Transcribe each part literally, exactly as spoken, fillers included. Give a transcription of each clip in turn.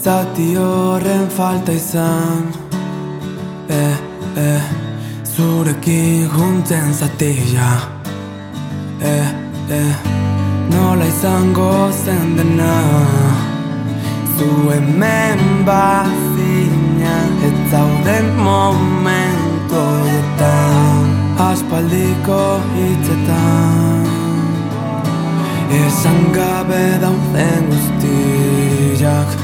zati horren falta izan. Eh, eh, zurekin juntzen zatia. Eh, eh, nola izango zen dena. Zu hemen bazina, ez zauden momentu horretan. Aspaldiko hitzetan, esan gabe dauden guztiak.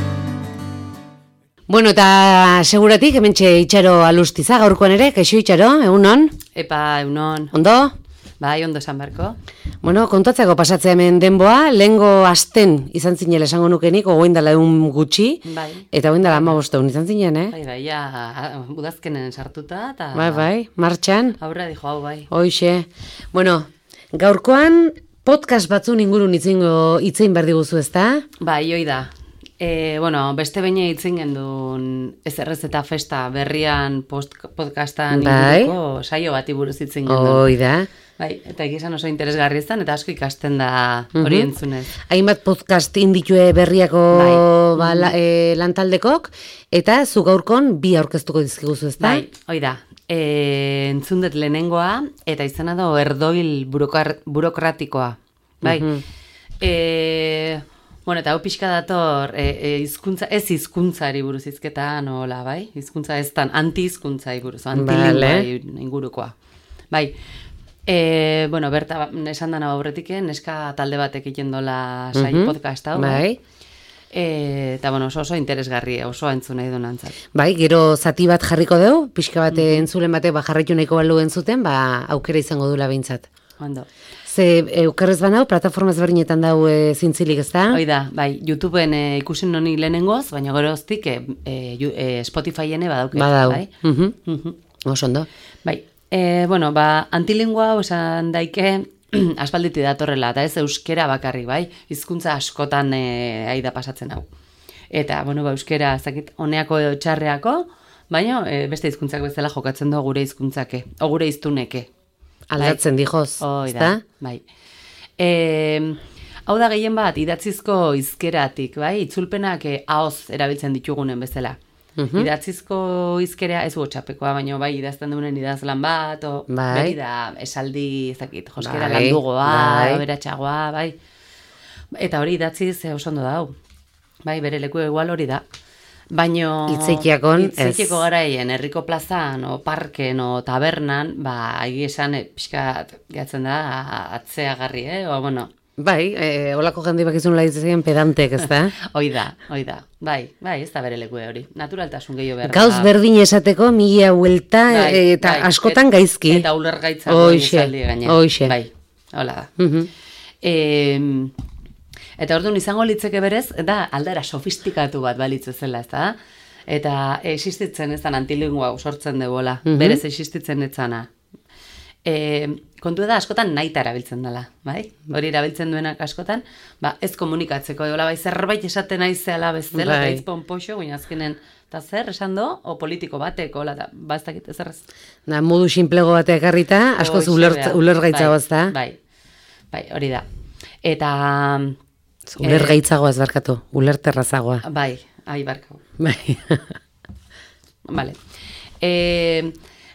Bueno, eta seguratik, hementxe Itxaro Alustiza, gaurkoan ere, kaixo Itxaro, egunon? Epa, egunon. Ondo? Bai, ondo esan beharko. Bueno, kontatzeko pasatzea hemen denboa, lehengo asten izan zinela esango nukenik, ogoin dela egun gutxi, bai. Eta ogoin dela ama bosteun izan zinen, eh? Bai, bai, ja, udazkenen sartuta, eta... Bai, bai, martxan. Aurra dijo hau, bai. Hoixe. Bueno, gaurkoan podcast batzun ingurun itzingo itzein behar diguzu, ezta? Bai, hoi da. E, bueno, beste behin itzen gendun ez errez eta festa berrian post, podcastan bai. Inguruko saio bati buruz itzen gendun. Hoi da. Bai, eta egizan oso interesgarri ezan, eta asko ikasten da hori Mhm. entzunez. Hainbat podcast inditue berriako Bai. ba, la, e, lantaldekok, eta zu gaurkon bi aurkeztuko dizkiguzu, ezta? Bai, hoi da. E, entzundet lehenengoa, eta izena da erdoil burokar, burokratikoa. Bai. Mhm. E, bueno, eta hau pixka dator, e, e, izkuntza, ez hizkuntzari buruz hizketa nola, bai? Hizkuntza ez tan, anti-hizkuntzai buruz, antilinguai ingurukoa. Bai. E, bueno, berta esan dana aurretik, neska talde batek egiten dola sai Mhm. podcast hau. Bai. E, eta bueno, oso, oso interesgarri, oso entzun nahi duen antzat. Bai, gero zati bat jarriko dugu, pixka bat mm-hmm. entzulen batek ba, jarraitu nahiko balu entzuten, ba, aukera izango dula behintzat. Ondo. Ze, eukerrez banau, plataforma ezberdinetan dau e, zintzilik, ez da? Hoi da, bai, YouTubeen e, ikusin noni lehenengoz, baina gero hoztik e, e, Spotifyene badauke. Badau. Bai? Mhm. Mhm. Oso ondo. Bai, e, bueno, ba, antilingua hau esan daike aspalditi datorrela, eta ez euskera bakarrik, bai, hizkuntza askotan e, aida pasatzen hau. Eta, bueno, ba, euskera, zakit, honeako edo txarreako, baina e, beste hizkuntzak bezala jokatzen du gure hizkuntzake, o gure hiztuneke. Aldatzen bai. dijoz, Hoi ez da, da? bai. E, hau da gehien bat, idatzizko hizkeratik, bai, itzulpenak e, ahoz erabiltzen ditugunen bezala. Mhm. Idatzizko hizkerea ez gotxapekoa, baina bai idazten duenen idazlan bat, o Bai. beri da esaldi, ezakit, joskera Bai, landugoa, bai. aberatsagoa, bai. Eta hori idatziz e, oso ondo da hau. Bai, bere leku igual hori da. Baino Hitzeitiakon, ez. hitzeitiako garaien herriko plazan o parken o tabernan, ba egi esan e, pixkat gehatzen da atzeagarri, eh? O bueno, Bai, e, olako jende bakizun laitzen pedantek, ez da? hoi da, hoi da. Bai, bai, ez da bere leku hori. Naturaltasun gehiago behar. Gauz berdin esateko, mila huelta Bai, e, eta bai, askotan et- gaizki. Eta ulergaitza Hoixe, esaldi gainera. hoixe. Bai, hola da. Mhm. E, eta orduan izango litzeke berez, da aldera sofistikatu bat balitzu zela, ez da? Eta existitzen ez da antilingua sortzen degola, Mhm. berez existitzen etzana. E, kontu da askotan naita erabiltzen dela, bai? Hori erabiltzen duenak askotan, ba, ez komunikatzeko egola, bai, zerbait esaten aizeala bezala, Bai. eta hitz ponpoxo, guina azkenen, eta zer esan do, o politiko batek, hola, da, ba, ez dakit ez errez. Da, modu sinplego batek harrita, askoz Hoxe uler, behar. ulergaitzago, ez da? Bai, bai, hori da. Eta, Ulergaitzagoa ez barkatu, ulerterrazagoa. bai, ai, barkau. Bai. Vale. E,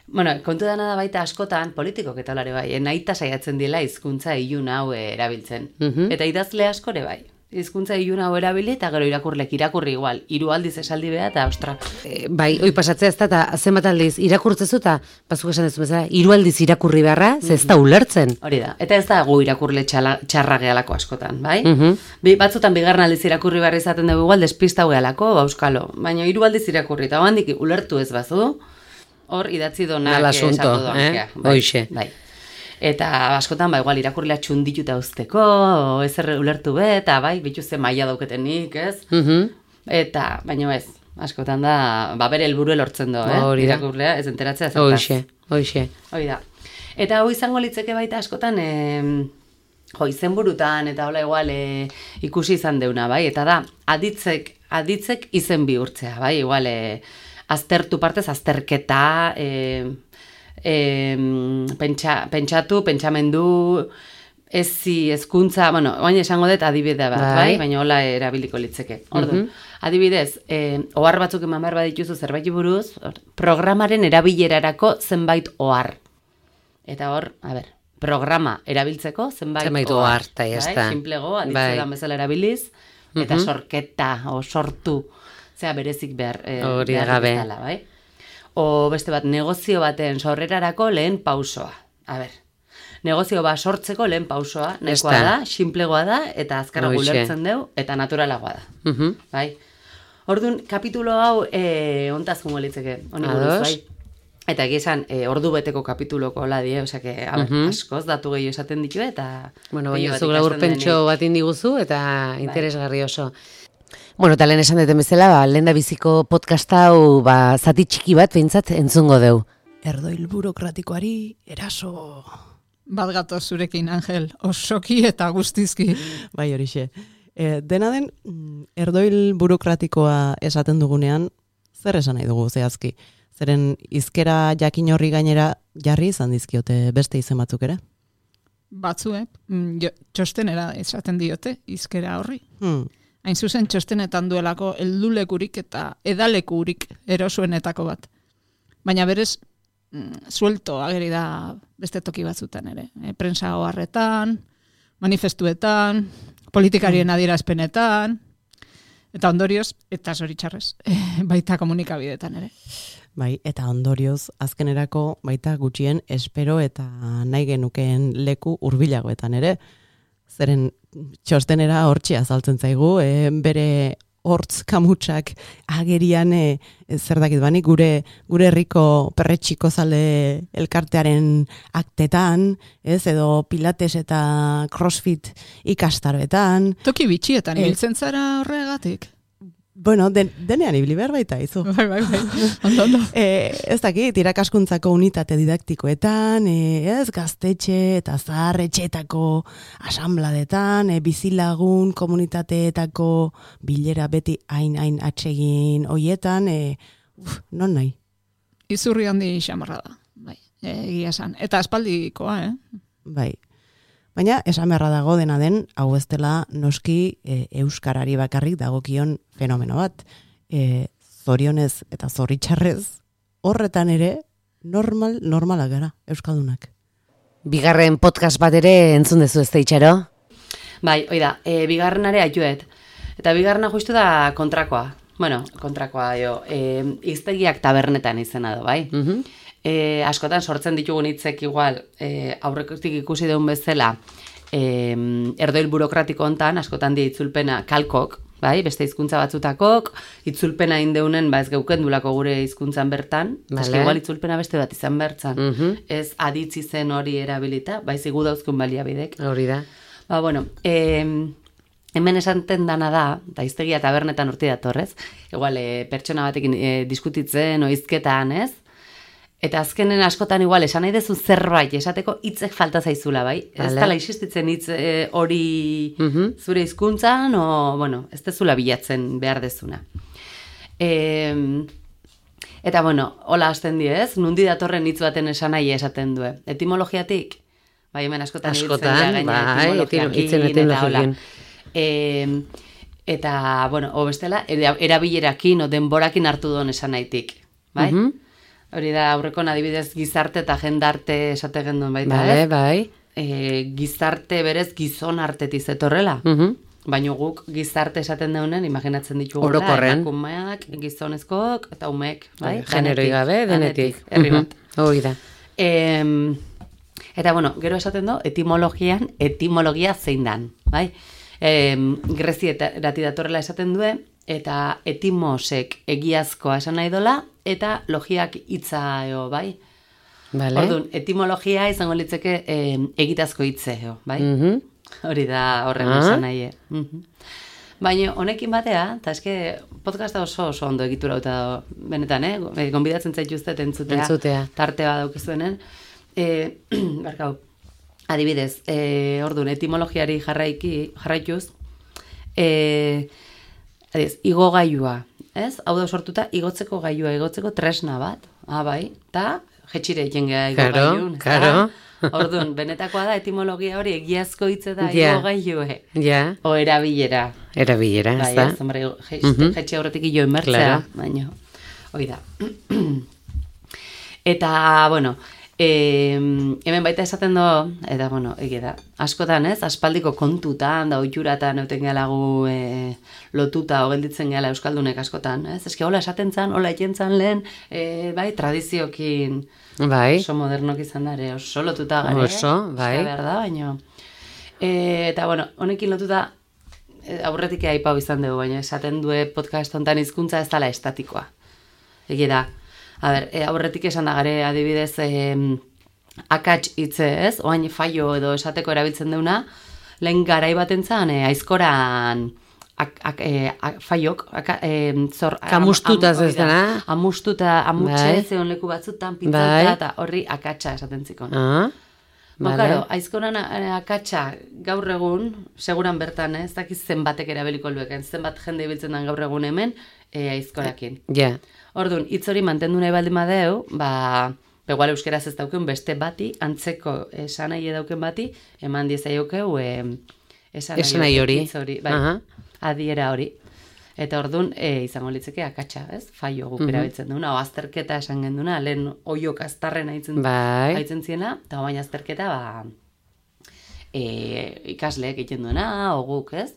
bueno, kontu dana da baita askotan, politikok eta olare bai, nahita saiatzen dela hizkuntza ilun hau erabiltzen. Mhm. Eta idazle askore bai. Hizkuntza ilun hau erabili eta gero irakurlek irakurri igual, hiru aldiz esaldi beha eta ostra. E, bai, oi pasatzea ez da, eta zenbat aldiz irakurtzezu eta, bazuk esan ez bezala, hiru aldiz irakurri beharra, ze ez da ulertzen. Hori da. Eta ez da gu irakurle txala, txarra gehalako askotan, bai? Mhm. Bi, batzutan bigarren aldiz irakurri behar izaten dugu igual despistau gehalako, bauskalo. Baina hiru aldiz irakurri, eta handik ulertu ez bazu, hor idatzi donak Nala asunto, esatu donak. eh? Bai, Hoixe. bai. Eta askotan, ba, igual, irakurlea txundituta usteko, o ezer ulertu be, eta bai, bituzte maila dauketenik, ez? Mhm. Eta, baina ez, askotan da, ba, bere helburua lortzen do, eh? Hori da. Irakurlea, ez enteratzea zertaz. Hoixe, hoixe. Hoi da. Eta hau izango litzeke baita askotan, e, jo, izenburutan, eta hola igual e, ikusi izan deuna, bai? Eta da, aditzek, aditzek izen bihurtzea, bai? Igual, e, aztertu partez, azterketa, e, e, pentsa, pentsatu, pentsamendu, ezi, hezkuntza, bueno, oain esango dut adibide bat, bai, bai? Baina hola erabiliko litzeke. Ordu, mm-hmm. adibidez, eh, ohar batzuk eman behar badituzu zerbait buruz, programaren erabilerarako zenbait ohar. Eta hor, a ber, programa erabiltzeko zenbait, zenbait ohar, eta bai? jazta. Simplego, aditzetan bezala erabiliz, eta mm-hmm. sorketa, o sortu, zera berezik behar, eh, hori behar gabe. bezala, bai? O beste bat, negozio baten sorrerarako lehen pausoa. A ber, negozio bat sortzeko lehen pausoa, nahikoa da, sinplegoa da, eta azkarra gulertzen deu, eta naturalagoa da. Uh-huh. Bai? Orduan, kapitulo hau, e, ontaz jungo litzeke, honi buruz, bai? Eta egizan, e, ordu beteko kapituloko ladie, osea, que, a ber, uh-huh. askoz, datu gehiago esaten ditu, eta... Bueno, baina zu gaur pentso bat indiguzu, eta interesgarri oso. Bueno, eta lehen esan deten bezala, ba, lehen da biziko podcast hau, ba, zati txiki bat, behintzat, entzungo deu. Erdoil burokratikoari eraso... Bat gatoz zurekin, Angel, osoki eta guztizki. Bai, horixe. E, dena den, erdoil burokratikoa esaten dugunean, zer esan nahi dugu zehazki? Zeren hizkera jakin horri gainera jarri izan dizkiote beste izen batzuk ere? Batzuek, jo, txostenera esaten diote hizkera horri. Hmm. Hain zuzen txostenetan duelako heldulekurik eta edalekurik erosuenetako bat. Baina berez, suelto ageri da beste toki batzutan ere. E, prensa oharretan, manifestuetan, politikarien adierazpenetan, eta ondorioz, eta zoritxarrez, e, baita komunikabidetan ere. Bai, eta ondorioz, azkenerako baita gutxien espero eta nahi genukeen leku hurbilagoetan ere. Zeren txostenera hortxe azaltzen zaigu, e, bere hortz kamutsak agerian e, zer dakit bani, gure gure herriko perretxiko zale elkartearen aktetan, ez, edo pilates eta crossfit ikastaroetan. Toki bitxietan, ibiltzen zara horregatik? Bueno, den, denean ibili behar baita, izu. Bai, bai, bai. Ondo, ondo. E, ez dakit, irakaskuntzako unitate didaktikoetan, e, ez, gaztetxe eta zaharretxeetako asambladetan, e, bizilagun komunitateetako bilera beti hain-hain atsegin hoietan, e, uf, non nahi? Izurri handi xamarra da, bai, egia esan. Eta aspaldikoa, eh? Bai. Baina, esan beharra dago dena den, hau ez dela noski e, euskarari bakarrik dagokion fenomeno bat. E, zorionez eta zoritxarrez, horretan ere normal, normalak gara, euskaldunak. Bigarren podcast bat ere entzun dezu ez da itxaro? Bai, oida, e, bigarrenare aituet. Eta bigarrena justu da kontrakoa. Bueno, kontrakoa jo, e, iztegiak tabernetan izena do, bai? Mhm. E, askotan sortzen ditugun hitzek igual, e, aurrekotik ikusi deun bezala, e, erdoil burokratiko hontan, askotan die itzulpena kalkok, bai, beste hizkuntza batzutakok, itzulpena indeunen, ba ez geukendulako gure hizkuntzan bertan, vale. Eske igual itzulpena beste bat izan bertzan, mm-hmm. ez aditzi zen hori erabilita, bai zigu dauzkun baliabidek. Hori da. Ba, bueno, e, hemen esanten dana da, eta hiztegia tabernetan urti datorrez, igual, e, pertsona batekin e, diskutitzen, oizketan, ez? Eta azkenen askotan igual esan nahi dezu zerbait esateko hitzek falta zaizula, bai? Vale. Ez dala existitzen hitz e, hori mm-hmm. zure hizkuntzan, o, bueno, ez dezula bilatzen behar dezuna. E, eta, bueno, hola hasten die, ez? Nundi datorren hitz baten esan nahi esaten du. Etimologiatik? Bai, hemen askotan askotan, bai, etimologiakin eta hola. E, eta, bueno, o bestela, erabilerakin o denborakin hartu duen esan nahitik, bai? Mm-hmm. Hori da, aurrekon adibidez gizarte eta jendarte esate genduen baita, vale, ez? Bai, e, gizarte berez gizon artetik zetorrela. Mm-hmm. Baina guk gizarte esaten daunen, imaginatzen ditugu. Orokorren. Emakumeak, gizonezkoak eta umek, bai? Generoi gabe, denetik. Herri bat. Mm-hmm. Hori da. E, eta, bueno, gero esaten du, etimologian, etimologia zein dan, bai? E, Grezietati datorrela esaten duen, eta etimosek egiazkoa esan nahi dola, eta logiak hitza eo, bai? Vale. Orduan, etimologia izango litzeke eh, egitazko hitze eo, bai? Mm-hmm. Hori da horren ah. esan nahi. Mm-hmm. Baina honekin batea, eta eske podcasta oso oso ondo egitura da benetan, eh? Gonbidatzen zaituztet entzutea, entzutea. Tarte bat daukizuenen. Eh, barkau, adibidez, eh, orduan, etimologiari jarraiki, jarraituz, eh, adiz, igo gailua, ez? Hau da sortuta, igotzeko gailua, igotzeko tresna bat. Ah, bai, eta jetxire jengea igo gailun. Karo, karo. Orduan, benetakoa da etimologia hori egiazko hitze da Ja. igogailue. Ja, O erabilera. erabilera, ez Bai, da? ez, hombre, jetxe aurretik jo inbertzea, Claro. baina, hoi da. Eta, bueno, e, hemen baita esaten do, eta, bueno, egia da, askotan ez, aspaldiko kontutan, da oituratan euten gelagu e, lotuta, o gelditzen gela euskaldunek askotan, ez? Eske hola esaten zan, hola eten lehen, e, bai, tradiziokin, Bai, oso modernok izan dare, oso lotuta gare. Oso, bai. Osea, behar da, baina. E, eta, bueno, honekin lotuta, e, aurretik aipau izan dugu, baina esaten due podcast hontan hizkuntza ez dela estatikoa. Egia da. A ber, e, aurretik esan da gare adibidez e, akats hitze ez, oain faio edo esateko erabiltzen deuna, lehen garai batentzan e, aizkoran ak, ak, e, ak, faiok, aka, e, zor, Kamustutaz ez hori da, dena. Amustuta, amutxe, Bai. zeon leku batzutan, Bai. pintzauta, eta horri akatsa esaten zikon. Ah, Ba, vale. claro, aizkoran eh, akatsa gaur egun, seguran bertan, eh, ez dakiz zenbatek erabeliko lueken, zenbat jende ibiltzen den gaur egun hemen, e, aizkorakin. Ja, Orduan, hitz hori mantendu nahi baldin badeu, ba, igual euskeraz ez dauken beste bati, antzeko esanai dauken bati, eman diezaiokeu e, esanai, Esanai hori. hitz hori, bai, Aha. adiera hori. Eta orduan, e, izango litzeke akatsa, ez? Faio guk erabiltzen duna, o azterketa esan genduna, lehen oiok aztarren haitzen, Bai. haitzen ziena, eta baina azterketa, ba, e, ikasleek egiten duena, o guk, ez?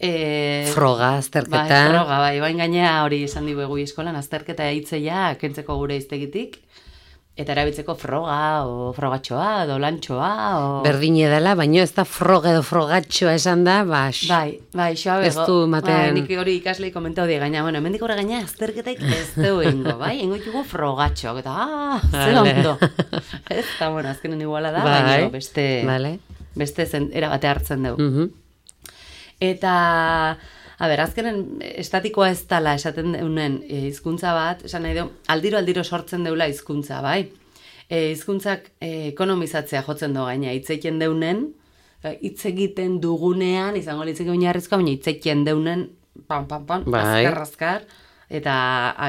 E, Froga, azterketa. Bai, froga, bai, bain gainea hori esan digu egu eskolan, azterketa hitzeia kentzeko gure iztegitik, eta erabiltzeko froga, o frogatxoa, edo lantxoa, o... Berdine dela, baina ez da froga edo frogatxoa esan da, ba, x- Bai, bai, xoa bego. Ez du ematen- Bai, nik hori ikaslei komentau die gaina, bueno, hemendik horre gaina azterketaik ez dugu ingo, bai? Ingo ditugu frogatxoak, eta, ah, zer Vale. ondo. Ez, eta, bueno, azkenen iguala da, Bai. baina beste, Vale. beste zen, erabate hartzen dugu. Mhm. Eta, a ber, azkenen estatikoa ez dala esaten deunen e, hizkuntza bat, esan nahi du, aldiro aldiro sortzen deula hizkuntza, bai? E, hizkuntzak e, ekonomizatzea jotzen du gaina, hitz egiten deunen, e, hitz egiten dugunean, izango litzeke oinarrizkoa, baina hitz egiten deunen, pam, pam, pam, Bai. azkar, azkar, eta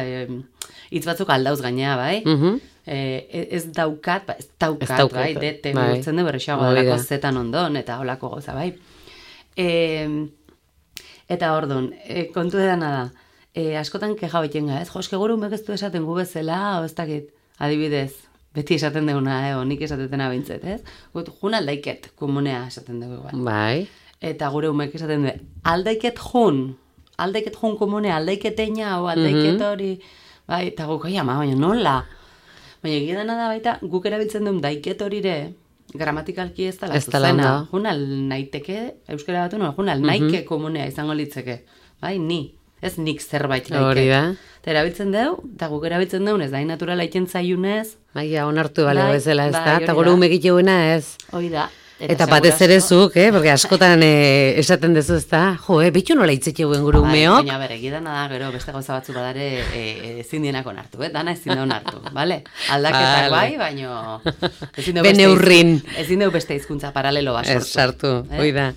e, hitz batzuk aldauz gainea, bai? Mhm. E, ez daukat, ba, ez daukat, Ez daukat, bai, dete bai. bihurtzen du berrexago Hori delako da. zetan ondon, eta holako goza, bai. E, eta orduan, e, kontu edana da, e, askotan keja baiten ga, ez, jo, eske gure umek ez du esaten gu bezala, o ez dakit, adibidez, beti esaten deuna, eh, o nik esatetena bintzet, ez? Gut, jun aldaiket, komunea esaten dugu, bai. Bai. Eta gure umek esaten du, aldaiket jun, aldaiket jun komunea, aldaiketeina, o aldaiket hori, bai, eta guk, oi ama, baina nola? Baina egia dena da baita, guk erabiltzen duen daiket horire, gramatikalki ez dela Ez dela zuzena. ondo. Junal naiteke, euskara batu no, junal naike komunea izango litzeke. Bai, ni. Ez nik zerbait naike. Hori da. Eta erabiltzen deu, eta guk erabiltzen deun, ez da, naturala iten zaiunez, Maia, onartu bale Bai, bezala, ez bai, da? hori Eta gure da. umek itxeuena ez. hoi da. Eta batez ere zuk, eh? Porque askotan eh, esaten dezu ez da. Jo, eh, bitu nola itzetxeuen gure umeok. Baina, bere, egidana da, gero, beste gauza batzu badare e, ezin dienak onartu, eh? Dana ezin da onartu, bale? Aldaketak Vale. bai, baino... ezin deu Bene beste urrin. hizkuntza- Ezin deu beste hizkuntza paralelo bat Ez sortu. sartu, Eh? hoi da.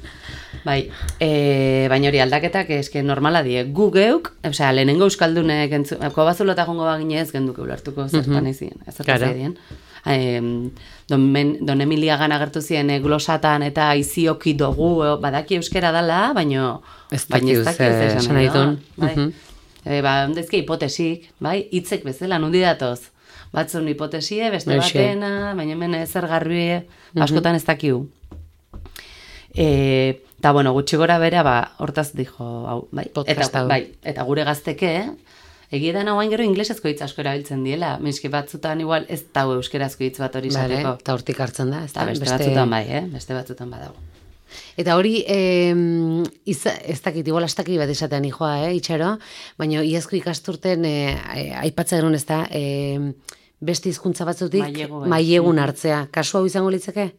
Bai, e, baina hori aldaketak eske normala die. Gu geuk, osea, lehenengo euskaldunek entzu, kobazulota jongo baginez genduke ulertuko zertan izien, zertan Claro. zaidien. Em, don, men, don Emilia gana agertu zien e, glosatan eta izioki dugu, e, badaki euskera dala, baino Ez baina dakiu zer esan nahi duen. Bai. Mhm. E, ba, ondezke hipotesik, bai, hitzek bezala, nundi datoz. Batzun hipotesie, beste Hoxe. batena, baina hemen ezer garbi, askotan ez dakiu. E, eta, bueno, gutxi gora bera, ba, hortaz dijo, hau, bai, Podcast eta, hau. bai, eta gure gazteke, egia da nagoain gero inglesezko hitz asko erabiltzen diela, minski batzutan igual ez dau euskerazko hitz bat hori Vale, izateko. eta hortik hartzen da, ez Eta da? beste, batzutan bai, eh? Beste batzutan badago. Eta hori, eh, iza, ez dakit, igual astaki bat esatean ijoa, eh, itxaro, baina iazko ikasturten eh, eh, aipatzen genuen ez da, eh, beste hizkuntza batzutik Mailegu, bai. mailegun hartzea. Kasu hau izango litzeke?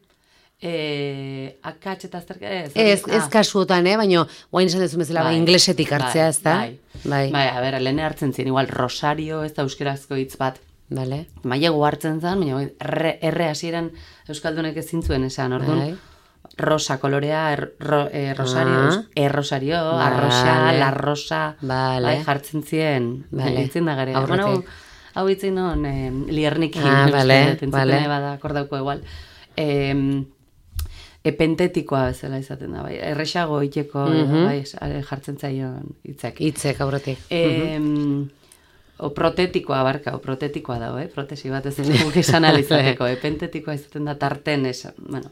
E, akatx eta azterka, ez? Ez, ez Ah. kasuotan, eh, baina guain esan dezu bezala, bai, Bai, inglesetik hartzea, bai, ez da? bai. Bai. Bai, a ber, lehen hartzen zien, igual Rosario ez da euskerazko hitz bat. Vale. Mailegu hartzen zen, baina bai, erre, erre hasieran euskaldunek ezin zuen esan, orduan. Bai. Rosa kolorea, er, ro, eh, Rosario, Ah. eus- errosario, Vale. arrosa, la rosa, Vale. bai, jartzen zien, Vale. itzin da gare. Aurretik. Bueno, hau itzin non, eh, liernikin, Ah, uste vale, dut, entzuten vale. bada akordauko igual. em, epentetikoa bezala izaten da, bai, erresago iteko, Mhm. bai, jartzen zaion hitzak. Hitzek aurretik. Em, o protetikoa barka, o protetikoa dago, eh? Protesi bat ez dugu esan alizateko, epentetikoa izaten da tarten esan, bueno.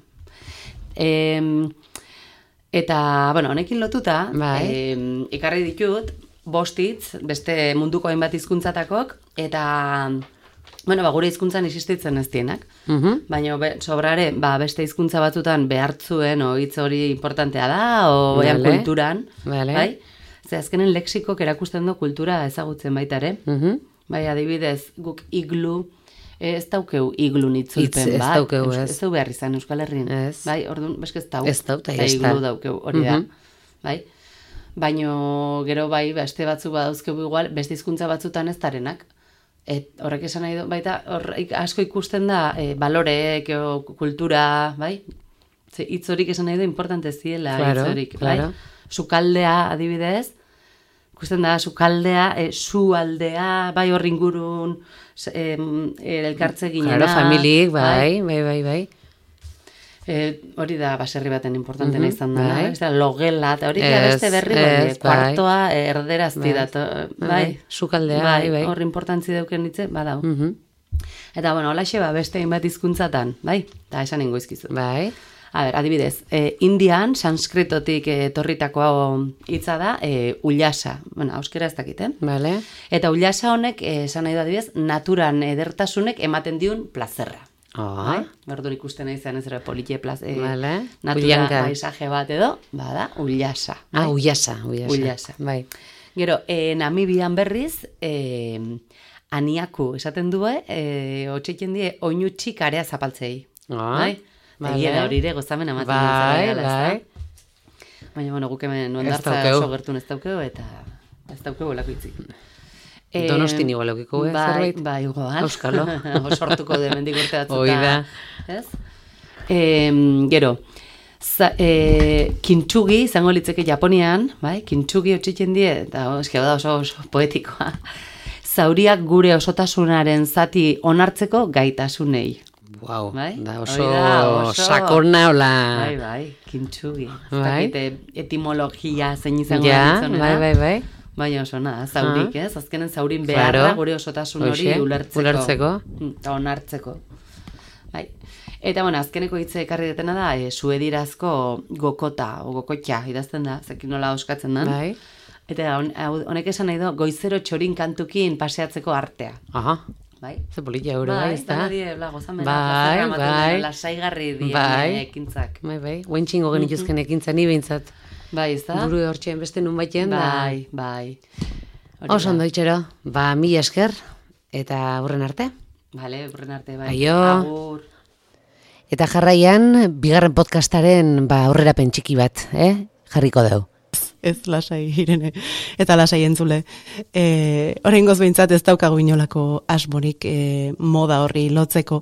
Em, eta, bueno, honekin lotuta, Bai. em, ikarri ditut, bost hitz, beste munduko hainbat hizkuntzatakok, eta, bueno, ba, gure hizkuntzan existitzen ez dienak. Mhm. Baina be, sobrare, ba, beste hizkuntza batzutan behartzuen, o hitz hori importantea da, o baian Vale. kulturan, Vale. bai? Ze azkenen lexikok erakusten du kultura ezagutzen baita ere. Mhm. Bai, adibidez, guk iglu, eh, ez daukeu iglun itzulpen Hitz ez bat. daukeu, Eus- ez. Ez dau behar izan Euskal Herrin. Ez. Bai, orduan, beske ez dau. Ez dau, eta Eta ya está. iglu daukeu, hori da. Mhm. Bai? Baino gero bai, beste batzu badauzkegu igual, beste hizkuntza batzutan ez darenak. Et, horrek esan nahi du, baita, hor ik- asko ikusten da, e, balorek, o, kultura, bai? Ze hitz horik esan nahi du importante ziela, Claro, hitz horik, claro. bai? Sukaldea, adibidez, ikusten da, sukaldea, e, su aldea, bai hor ingurun, s- em, e, elkartze ginena. Claro, familik, bai, bai, bai, bai. E, hori da baserri baten importantena Mhm, izan dela, bai. ez da, logela, eta hori da Ez, beste berri, ez, bai, bai. kuartoa e, erderazti Bai. dato, Bai, bai, sukaldea, bai, bai. hor importantzi dauken hitze, badau. Mhm. Eta, bueno, holaxe ba, beste hainbat hizkuntzatan, bai, eta esan ingo izkizu. Bai. A ber, adibidez, e, Indian, sanskritotik e, torritako hitza da, e, ullasa, bueno, euskera ez dakiten. Vale. Eta ullasa honek, e, esan nahi da adibidez, naturan edertasunek ematen diun plazerra. Ah, Bai? Orduan ikusten nahi zen ez ere politie plaz, e, Vale. natura Ullanka. paisaje bat edo, bada, ullasa. Ah, ullasa, ullasa. Ullasa. Bai. Gero, e, Namibian berriz, e, aniaku esaten du, e, otxeiten die, oinutxik area zapaltzei. Ah, Bai? vale. Egia da hori ere gozamen ematen Bai, dintzela, bai. ezta? Baina, bueno, guk hemen Ez ondartza daukeu. oso gertun ez daukeu, eta ez daukeu olako hitzik. Eh, Donostin igual eukiko, eh, bai, zerbait? Bai, igual. Auskalo. Sortuko de mendik urte batzuta. Hoi da. Ez? E, gero, za, e, kintsugi, izango litzeke Japonian, bai? Kintsugi otxitzen die, eta eski da oso, oso poetikoa. Zauriak gure osotasunaren zati onartzeko gaitasunei. Wow, Bai? da Hori oso, da, oso. sakona hola. Bai, bai, kintsugi. Ez Bai. dakit, e, etimologia zein izango Ja, da bai, bai, bai. Baina oso nada, zaurik, ez? Azkenen zaurin Claro. beharra gure osotasun hori Hoxe, ulertzeko. ulertzeko. Mm, Eta onartzeko. Bai. Eta, bueno, azkeneko hitze ekarri detena da, e, suedirazko gokota, o gokotxa, idazten da, zekin nola oskatzen den. Bai. Eta hon- hau- honek esan nahi du, goizero txorin kantukin paseatzeko artea. Aha, Bai? ze polita euro, bai, ez da? dena die, bla, gozamena, Bai, plazerra ematen bai. duen, lasaigarri dien Bai. ekintzak. Bai, bai, guentxingo genituzken ekintzen ni behintzat. Bai, ez da? Buru hortxean beste nun baiten, Bai, bai. Hori da. Oso da. ondo itxero, ba, mila esker, eta aurren arte. Vale, urren arte, bai. Aio. Agur. Eta jarraian, bigarren podcastaren, ba, aurrerapen txiki bat, eh? Jarriko dugu. Ez lasai Irene, eta lasai entzule. E, Oraingoz behintzat ez daukagu inolako asmorik e, moda horri lotzeko.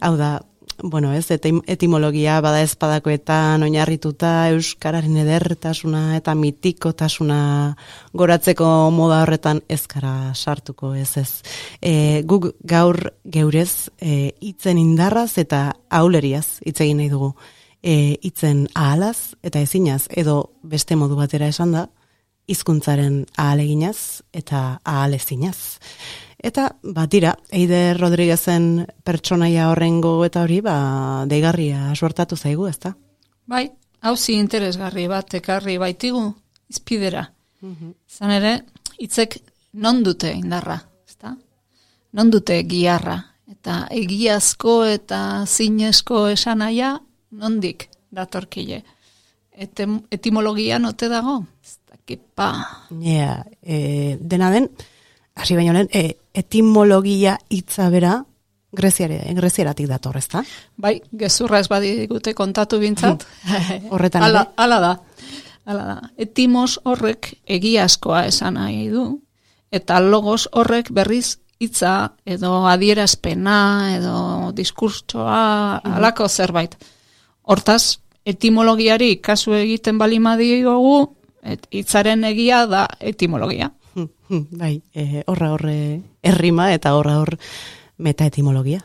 Hau da, bueno, ez, etim, etimologia bada ezpadakoetan oinarrituta euskararen edertasuna eta mitikotasuna goratzeko moda horretan ez gara sartuko, ez ez. E, guk gaur geurez e, hitzen indarraz eta auleriaz hitz egin nahi dugu. E, hitzen ahalaz eta ezinaz, edo beste modu batera esan da, hizkuntzaren ahaleginaz eta ahalezinaz. Eta, batira, Eider Rodriguezen pertsonaia horrengo eta hori, ba, deigarria suertatu zaigu, ezta? Bai, hauzi interesgarri bat ekarri baitigu, izpidera. Zan ere, hitzek non dute indarra, ezta? Non dute giarra. Eta egiazko eta zinezko esanaia, nondik datorkile. Etem, etimologian ote dago? Ez dakipa. Ja, e, dena den, hasi baino lehen, e, etimologia hitza bera greziare, grezieratik dator, ezta? Bai, gezurra ez badigute kontatu bintzat. Horretan Ala, ere. ala da. Ala da. Etimos horrek egiazkoa esan nahi du, eta logos horrek berriz hitza edo adierazpena edo diskurtsoa alako zerbait. Hortaz, etimologiari kasu egiten balimadiogu, et hitzaren egia da etimologia. Bai, e, horra horre errima eta horra hor metaetimologia.